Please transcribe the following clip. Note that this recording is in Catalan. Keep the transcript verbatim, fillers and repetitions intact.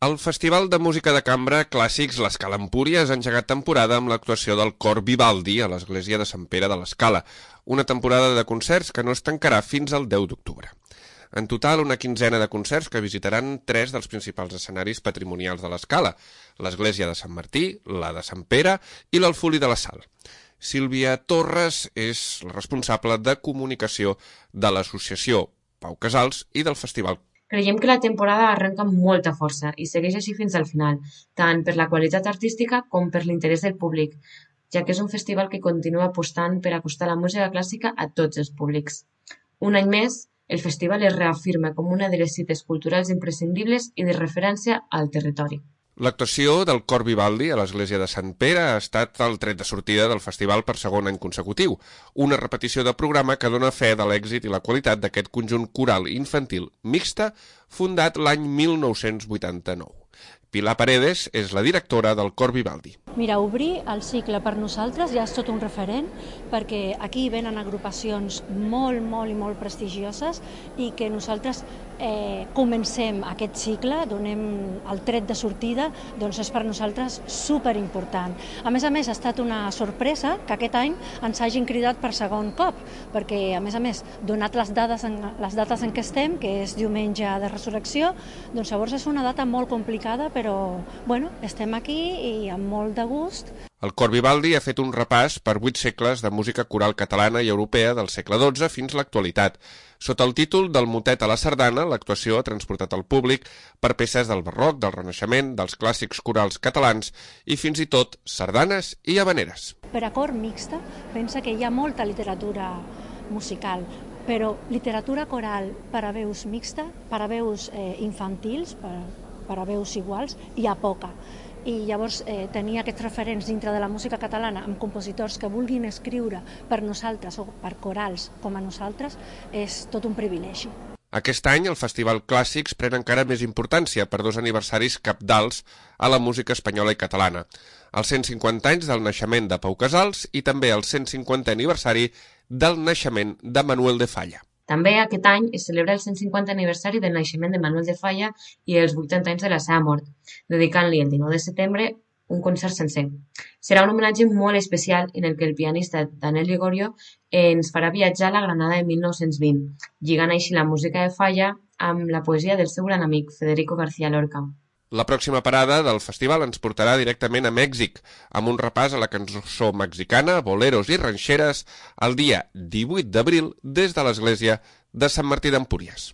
El Festival de Música de Cambra Clàssics L'Escala Empúries ha engegat temporada amb l'actuació del Cor Vivaldi a l'església de Sant Pere de l'Escala, una temporada de concerts que no es tancarà fins al deu d'octubre. En total, una quinzena de concerts que visitaran tres dels principals escenaris patrimonials de l'Escala, l'església de Sant Martí, la de Sant Pere i l'Alfuli de la Sal. Sílvia Torres és la responsable de comunicació de l'associació Pau Casals i del festival. Creiem que la temporada arrenca amb molta força i segueix així fins al final, tant per la qualitat artística com per l'interès del públic, ja que és un festival que continua apostant per acostar la música clàssica a tots els públics. Un any més, el festival es reafirma com una de les cites culturals imprescindibles i de referència al territori. L'actuació del Cor Vivaldi a l'església de Sant Pere ha estat el tret de sortida del festival per segon any consecutiu, una repetició de programa que dona fe de l'èxit i la qualitat d'aquest conjunt coral infantil mixta fundat l'any mil nou-cents vuitanta-nou. Pilar Paredes és la directora del Cor Vivaldi. Mira, obrir el cicle per nosaltres ja és tot un referent, perquè aquí venen agrupacions molt, molt i molt prestigioses i que nosaltres eh, comencem aquest cicle, donem el tret de sortida, doncs és per nosaltres superimportant. A més a més, ha estat una sorpresa que aquest any ens hagin cridat per segon cop, perquè a més a més, donat les, dades en, les dates en què estem, que és diumenge de resurrecció, doncs llavors és una data molt complicada, però bueno, estem aquí i amb molt de gust. El Cor Vivaldi ha fet un repàs per vuit segles de música coral catalana i europea del segle dotze fins a l'actualitat. Sota el títol del motet a la sardana, l'actuació ha transportat al públic per peces del barroc, del renaixement, dels clàssics corals catalans i fins i tot sardanes i habaneres. Per a cor mixta, pensa que hi ha molta literatura musical, però literatura coral per a veus mixta, per a veus eh, infantils, per, per a veus iguals, hi ha poca. I llavors eh, tenir aquests referents dintre de la música catalana amb compositors que vulguin escriure per nosaltres o per corals com a nosaltres és tot un privilegi. Aquest any el Festival Clàssics pren encara més importància per dos aniversaris cabdals a la música espanyola i catalana. Els cent cinquanta anys del naixement de Pau Casals i també el cent cinquantè aniversari del naixement de Manuel de Falla. També aquest any es celebra el cent cinquantè aniversari del naixement de Manuel de Falla i els vuitanta anys de la seva mort, dedicant-li el dinou de setembre un concert sencer. Serà un homenatge molt especial en el que el pianista Daniel Gregorio ens farà viatjar a la Granada de mil nou-cents vint, lligant així la música de Falla amb la poesia del seu gran amic Federico García Lorca. La pròxima parada del festival ens portarà directament a Mèxic, amb un repàs a la cançó mexicana, boleros i ranxeres, el dia divuit d'abril des de l'església de Sant Martí d'Empúries.